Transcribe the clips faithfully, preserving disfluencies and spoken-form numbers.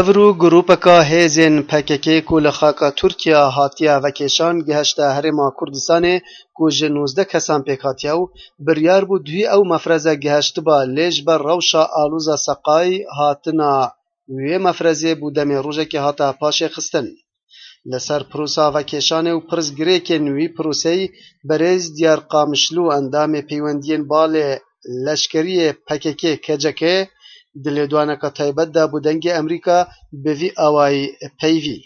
Evro grûpeka hêzên P K K ku li xaka Tirkiye hatiye vekêşan gihişte Herêma Kurdistanê ku ji nozdeh kesan pêk hatiye û biryar bû duhî ew mefreze gihiştiba, lê ji ber rewşa alûza seqayî hatina wê mefrezê bû demê rojekê hate paşê xistin. Li ser pirosa vekêşanê û pirsgirêkên wî piroseyî, berêz Diyar Qamişlû, endamê peywendiyên balê leşkeriyê P K K K C K, di lêdwaneka taybet de bo Dengê Amerîka bi vî awayî peyvî.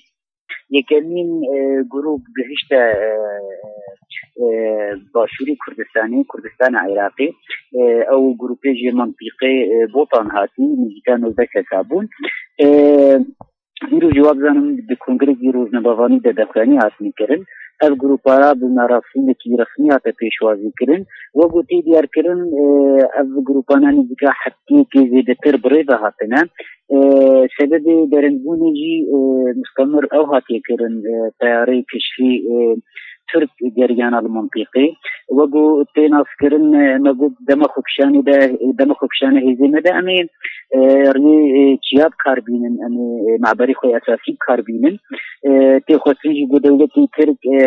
Yekemîn, e, grûp gihişte, e, e, başûrê Kurdistanê, Kurdistana Iraqê. E, ew grûpê ji mintîqê, e, Botan hatî, nêzîka nozdeh kesa bûn. E, Îro jî wa bizanim di kongrekî rojnamevanî de daxuyanî hatine kirin. Ev grûpara bi merasîmekî resmî hate pêşwazî kirin. Wek ku tê diyarkirin, e, ev grûpana nêzîka heftiyekê zêdetir bi rê ve hatine. E, sebebê derengîbûnê jî, e, mustemir ew hatiye kirin, e, teyarê keşfî, e, Tirk geriyana li mintîqê. Wek ku tê naskirin, e, me got dema xwekişanê de, dema xwekişanê hêzê me de em ê, e, riyê, e, çiya bi kar bînin, em ê, e, meberê xwe esasî bi kar bînin. E, tê xwestin jî ku dewletê Tirk, e,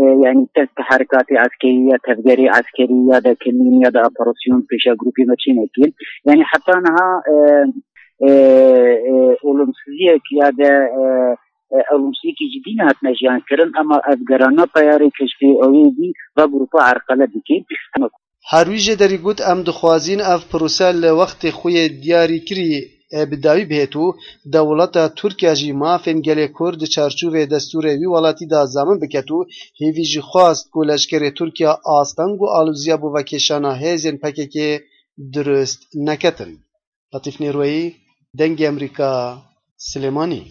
e, yanî te-, teherikatê eskerî ya tevgerê eskerî ya de kemîn ya de operasyon pêşa grûpê me çê neke. Yanî heta niha, e, e, e, olumsuziyek ya de, e, e, olumsuziyekî cidî nehatine jiyan kirin, ama ev gerana teyarê keşfê ewê dî va grûpa erqele dike. Her wî jê derî got, em dixwazîn ev pirose li wextê xwe yê diyarîkirî, e, bi dawî bihêt û dewleta Tirkiye jî mafên gelê Kurd di çarçovê destûrê wî welatî de zamin biket û hêvî jî xwest ku leşkerê Tirkiye asteng û alûziya bo vekêşana hêzên P K K durust neketin. Letîf Nêrweyî, Dengê Amerîka, Silêmanî.